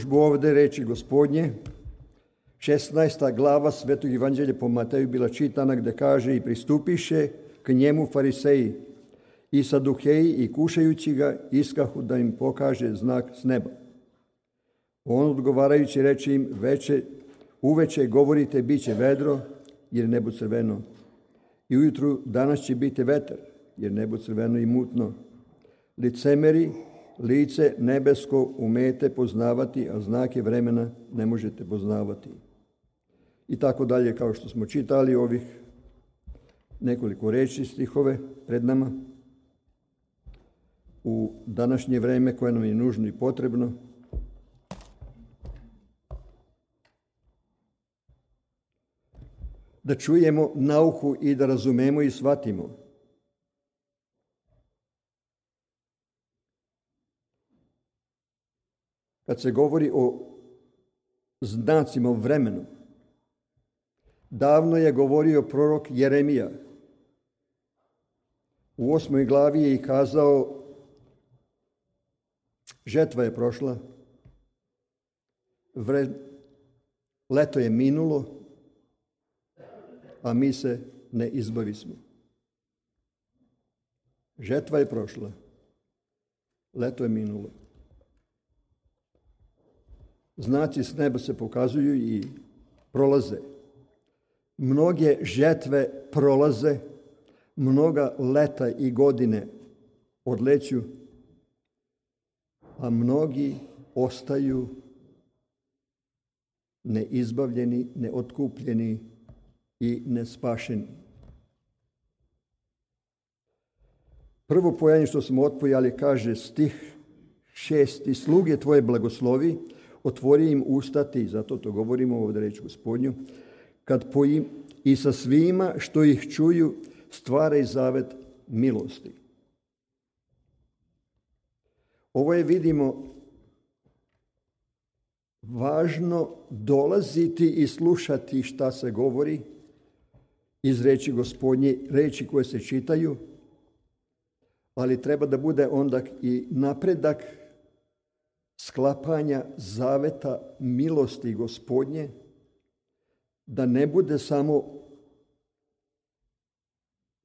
izložbu ovde reči Gospodnje. 16. glava Svetog evanđelja po Mateju bila čitana gde kaže: i pristupiše k njemu fariseji i saduheji i kušajući ga iskahu da im pokaže znak s neba. On odgovarajući reče im: uveče govorite bit će vedro jer nebo crveno, i ujutru danas će biti vetar jer nebo crveno i mutno. Licemeri, lice nebesko umete poznavati, a znake vremena ne možete poznavati. I tako dalje, kao što smo čitali ovih nekoliko reči, stihove pred nama. U današnje vreme koje nam je nužno i potrebno, da čujemo nauku i da razumemo i shvatimo. Kad se govori o znacima, o vremenu, davno je govorio prorok Jeremija. U 8. glavi je i kazao: žetva je prošla, leto je minulo, a mi se ne izbavismo. Žetva je prošla, leto je minulo. Znaci s neba se pokazuju i prolaze. Mnoge žetve prolaze, mnoga leta i godine odleću, a mnogi ostaju neizbavljeni, neotkupljeni i nespašeni. Prvo pojanje što smo otpojali kaže stih 6. sluge tvoje blagoslovi, otvori im usta ti, zato to govorimo ovdje reč Gospodnju, kad i sa svima što ih čuju stvaraj zavet milosti. Ovo je, vidimo, važno dolaziti i slušati šta se govori iz reči Gospodnje, reči koje se čitaju, ali treba da bude onda i napredak sklapanja zaveta milosti Gospodnje, da ne bude samo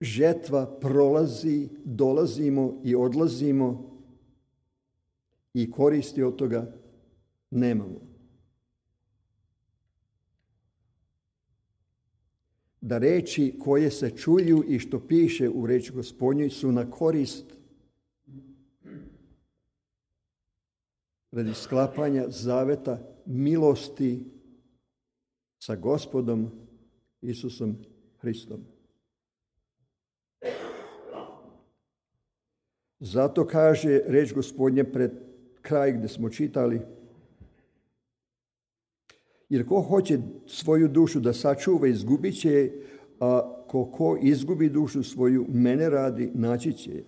žetva prolazi, dolazimo i odlazimo i koristi od toga nemamo. Da reči koje se čuju i što piše u reči Gospodnjoj su na korist radi sklapanja zaveta milosti sa Gospodom Isusom Hristom. Zato kaže reč Gospodnja pred kraj gdje smo čitali: jer ko hoće svoju dušu da sačuva, izgubit će je, a ko izgubi dušu svoju, mene radi, naći će je.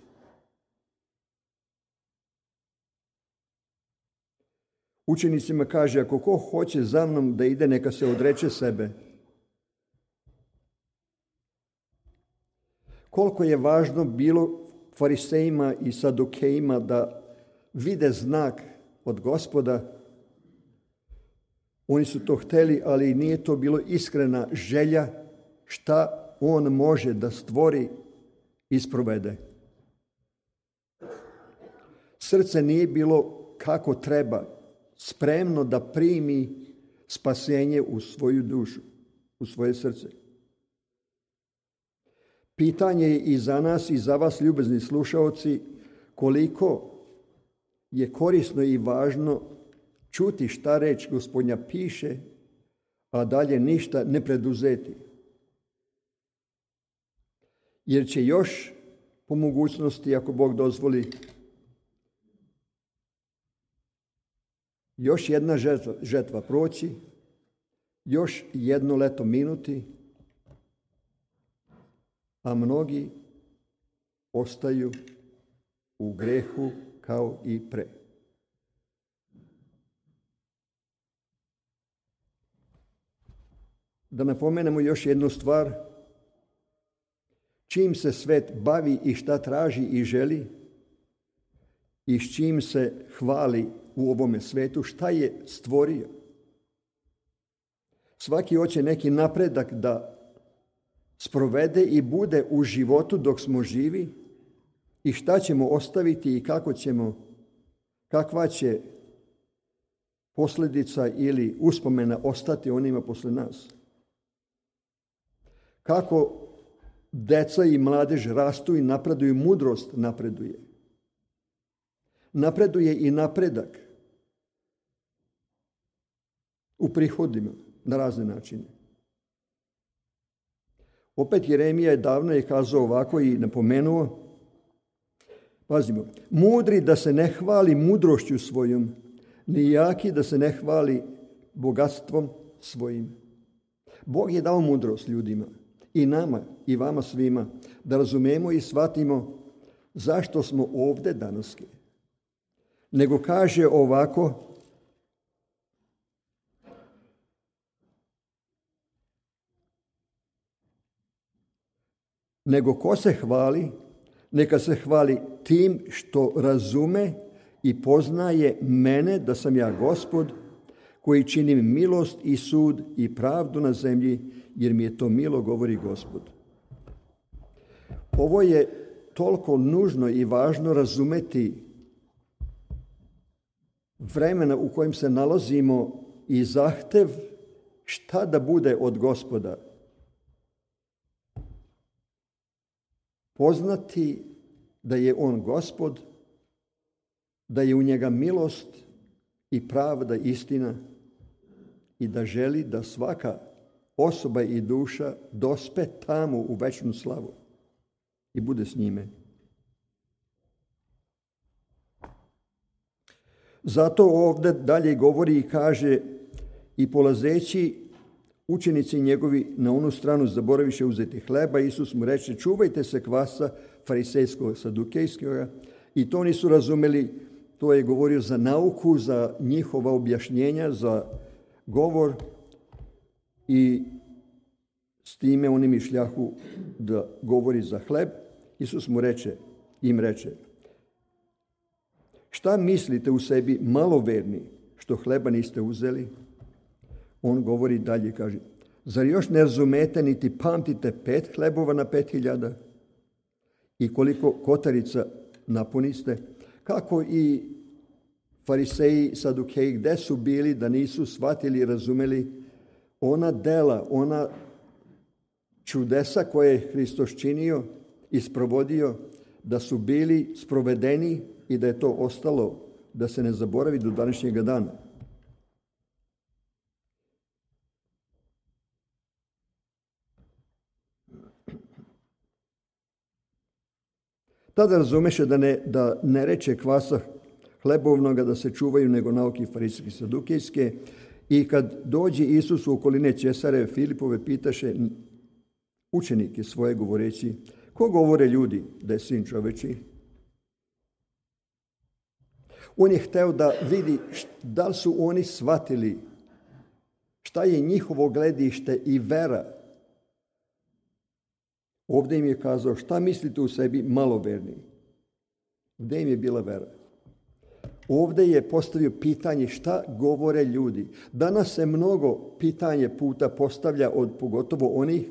Učenicima kaže: ako ko hoće za mnom da ide, neka se odreče sebe. Koliko je važno bilo farisejima i sadukejima da vide znak od Gospoda. Oni su to hteli, ali nije to bilo iskrena želja šta on može da stvori i sprovede. Srce nije bilo kako treba, spremno da primi spasenje u svoju dušu, u svoje srce. Pitanje je i za nas i za vas, ljubezni slušaoci, koliko je korisno i važno čuti šta reč Gospodnja piše, a dalje ništa ne preduzeti. Jer će još po mogućnosti, ako Bog dozvoli, još jedna žetva proći, još jedno leto minuti, a mnogi ostaju u grehu kao i pre. Da napomenemo još jednu stvar. Čim se svet bavi i šta traži i želi i s čim se hvali u ovome svetu, šta je stvorio. Svaki hoće neki napredak da sprovede i bude u životu dok smo živi i šta ćemo ostaviti i kakva će posljedica ili uspomena ostati onima posle nas. Kako deca i mladež rastu i napreduju, mudrost napreduje. Napreduje i napredak u prihodima na razne načine. Opet Jeremija je davno kazao ovako i napomenuo, pazimo, mudri da se ne hvali mudrošću svojom, ni jaki da se ne hvali bogatstvom svojim. Bog je dao mudrost ljudima, i nama, i vama svima, da razumemo i shvatimo zašto smo ovdje danas. Nego kaže ovako, nego ko se hvali, neka se hvali tim što razume i poznaje mene da sam ja Gospod, koji činim milost i sud i pravdu na zemlji, jer mi je to milo, govori Gospod. Ovo je toliko nužno i važno razumeti vremena u kojem se nalazimo i zahtev šta da bude od Gospoda. Poznati da je on Gospod, da je u njega milost i pravda, istina i da želi da svaka osoba i duša dospe tamo u večnu slavu i bude s njime. Zato ovdje dalje govori i kaže i polazeći učenici njegovi na onu stranu zaboraviše uzeti hleba, Isus mu reče, čuvajte se kvasa farisejskog, sadukejskog, i to nisu razumeli, to je govorio za nauku, za njihova objašnjenja, za govor i s time oni mišljahu da govori za hleb. Isus im reče, šta mislite u sebi maloverni što hleba niste uzeli? On govori dalje, kaže, zar još ne razumete niti pamtite 5 hlebova na 5.000 i koliko kotarica napuniste? Kako i fariseji, sadukeji, gde su bili da nisu shvatili i razumeli ona dela, ona čudesa koje je Hristos činio i sprovodio, da su bili sprovedeni i da je to ostalo, da se ne zaboravi do današnjega dana. Tada razumeše da ne reče kvasa hlebovnoga da se čuvaju, nego nauke farisejske i sadukejske. I kad dođe Isus u okoline Cesare Filipove, pitaše učenike svoje govoreći, ko govore ljudi da je sin čoveči? On je hteo da vidi da li su oni shvatili šta je njihovo gledište i vera. Ovdje im je kazao, šta mislite u sebi maloverni? Gdje im je bila vera? Ovdje je postavio pitanje šta govore ljudi. Danas se mnogo pitanje puta postavlja od pogotovo onih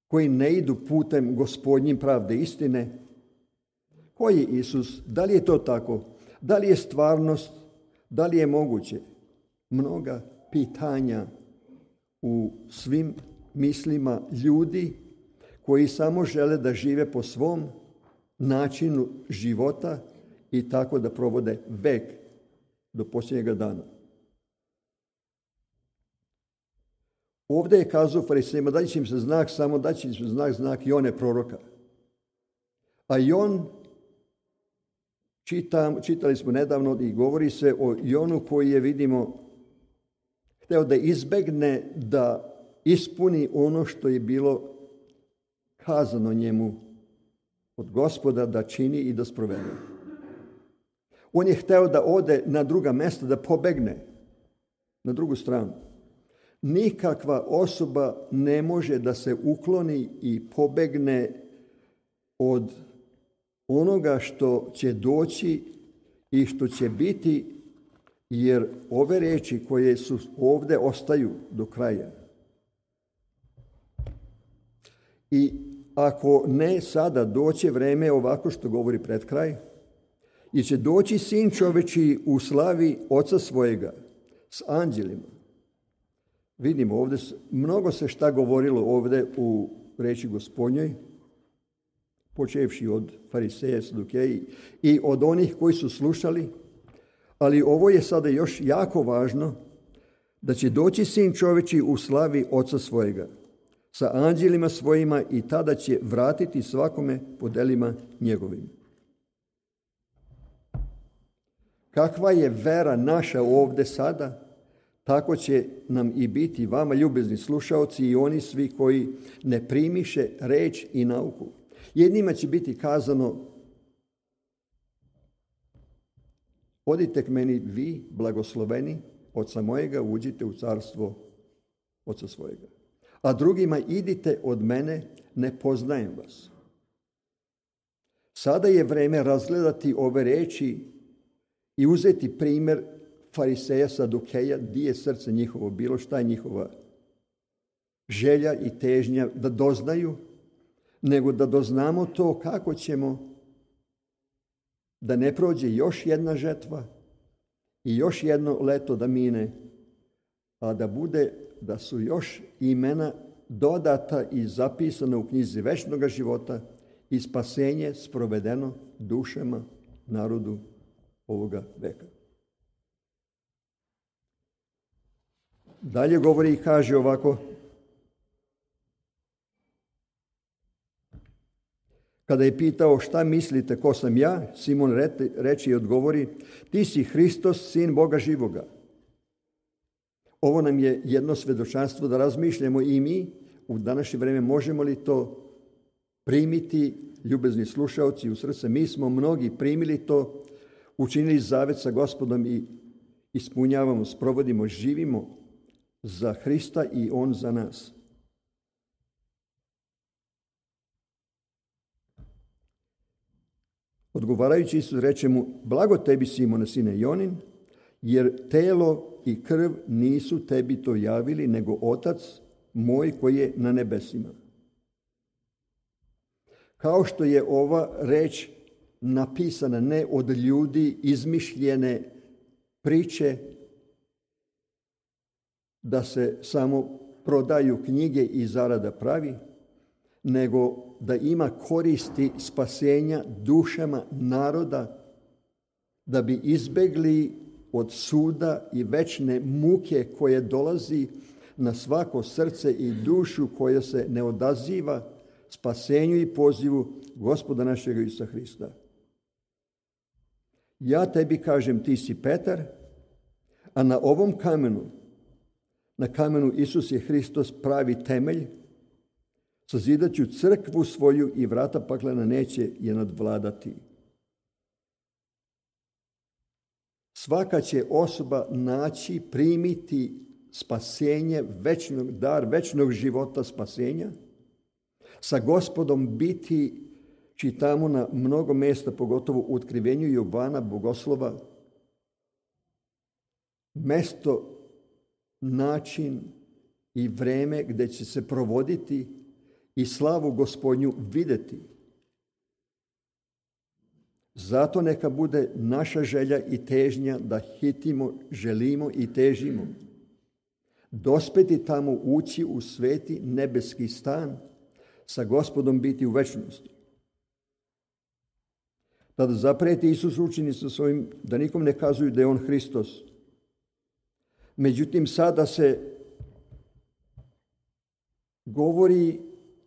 koji ne idu putem Gospodnjim pravde istine. Ko je Isus? Da li je to tako? Da li je stvarnost? Da li je moguće? Mnoga pitanja u svim mislima ljudi koji samo žele da žive po svom načinu života i tako da provode vek do posljednjega dana. Ovdje je kazao farisejima, daći će im se znak, samo daći će im se znak Jone proroka. A Jon, čitali smo nedavno i govori se o Jonu koji je, vidimo, hteo da izbegne da ispuni ono što je bilo kazano njemu od Gospoda da čini i da sprovede. On je hteo da ode na druga mesta, da pobegne na drugu stranu. Nikakva osoba ne može da se ukloni i pobegne od onoga što će doći i što će biti, jer ove riječi koje su ovdje ostaju do kraja. I ako ne sada, doće vreme ovako što govori pred kraj, i će doći sin čovječiji u slavi oca svojega s anđelima. Vidimo ovdje, mnogo se šta govorilo ovdje u riječi Gospodnjoj, počevši od fariseja, sadukeji i od onih koji su slušali, ali ovo je sada još jako važno, da će doći sin čovječiji u slavi oca svojega sa anđelima svojima i tada će vratiti svakome po delima njegovim. Kakva je vera naša ovdje sada, tako će nam i biti vama, ljubezni slušaoci, i oni svi koji ne primiše reč i nauku. Jednima će biti kazano: odite k meni vi, blagosloveni, oca mojega, uđite u carstvo oca svojega. A drugima: idite od mene, ne poznajem vas. Sada je vreme razgledati ove reči i uzeti primjer fariseja, sadukeja, di je srce njihovo bilo, šta je njihova želja i težnja da doznaju, nego da doznamo to kako ćemo da ne prođe još jedna žetva i još jedno leto da mine, a da bude da su još imena dodata i zapisana u knjizi večnoga života i spasenje sprovedeno dušama narodu ovoga veka. Dalje govori i kaže ovako: kada je pitao šta mislite ko sam ja, Simon reče i odgovori: ti si Hristos, sin Boga živoga. Ovo nam je jedno svjedočanstvo da razmišljamo i mi u današnje vrijeme, možemo li to primiti, ljubezni slušaoci, u srce. Mi smo mnogi primili to, učinili zavet sa Gospodom i ispunjavamo, sprovodimo, živimo za Hrista i On za nas. Odgovarajući Isus reče mu: blago tebi, Simone, sine Jonin, jer telo i krv nisu tebi to javili, nego Otac moj koji je na nebesima. Kao što je ova reč napisana ne od ljudi, izmišljene priče, da se samo prodaju knjige i zarada pravi, nego da ima koristi spasenja dušama naroda, da bi izbegli od suda i večne muke koje dolazi na svako srce i dušu koja se ne odaziva spasenju i pozivu Gospoda našega Isusa Hrista. Ja tebi kažem, ti si Petar, a na ovom kamenu, na kamenu Isus je Hristos pravi temelj, sazidat ću crkvu svoju i vrata paklena neće je nadvladati. Svaka će osoba naći, primiti spasenje, dar večnog života spasenja, sa Gospodom biti, čitamo na mnogo mjesta, pogotovo u otkrivenju Jovana Bogoslova, mesto, način i vreme gdje će se provoditi i slavu Gospodnju vidjeti. Zato neka bude naša želja i težnja da hitimo, želimo i težimo dospeti tamo, ući u sveti nebeski stan, sa Gospodom biti u večnosti. Tada zaprijeti Isus učenicima svojim da nikom ne kazuju da je on Hristos. Međutim, sada se govori,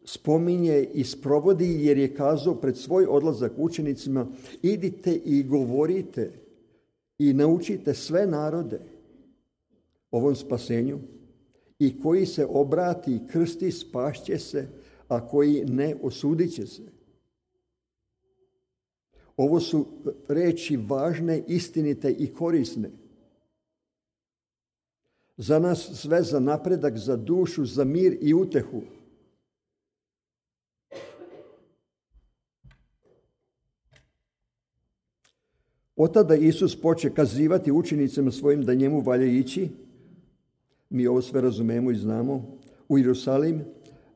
spominje i sprovodi, jer je kazao pred svoj odlazak učenicima: idite i govorite i naučite sve narode ovom spasenju, i koji se obrati i krsti spašće se, a koji ne, osudit će se. Ovo su reči važne, istinite i korisne. Za nas sve, za napredak, za dušu, za mir i utehu. Od tada Isus poče kazivati učenicima svojim da njemu valja ići. Mi ovo sve razumemo i znamo. U Jerusalim,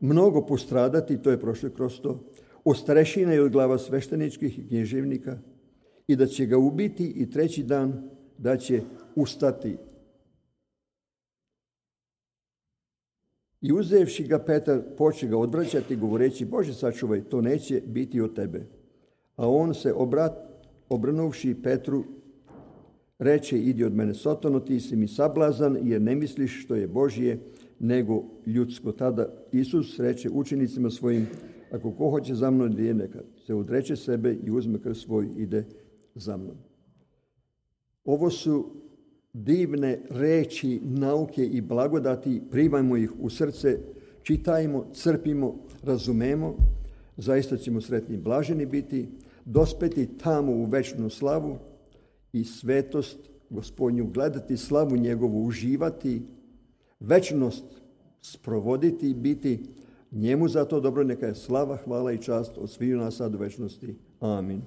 mnogo postradati, to je prošlo kroz to, od starešina i od glava svešteničkih i knježevnika, i da će ga ubiti i treći dan da će ustati. I uzevši ga, Petar poče ga odvraćati, govoreći: Bože, sačuvaj, to neće biti od tebe. A on se obrnuvši Petru, reče: Idi od mene, Sotano, ti si mi sablazan, jer ne misliš što je Božje, nego ljudsko. Tada Isus reče učenicima svojim: Ako ko hoće za mnom da ide, neka se odreče sebe i uzme krst svoj, ide za mnom. Ovo su divne reči nauke i blagodati, primajmo ih u srce, čitajmo, crpimo, razumemo, zaista ćemo sretni i blaženi biti, dospeti tamo u večnu slavu i svetost Gospodnju, gledati slavu njegovu, uživati, večnost sprovoditi i biti. Njemu za to dobro neka je slava, hvala i čast od sviju nas sad u večnosti. Amin.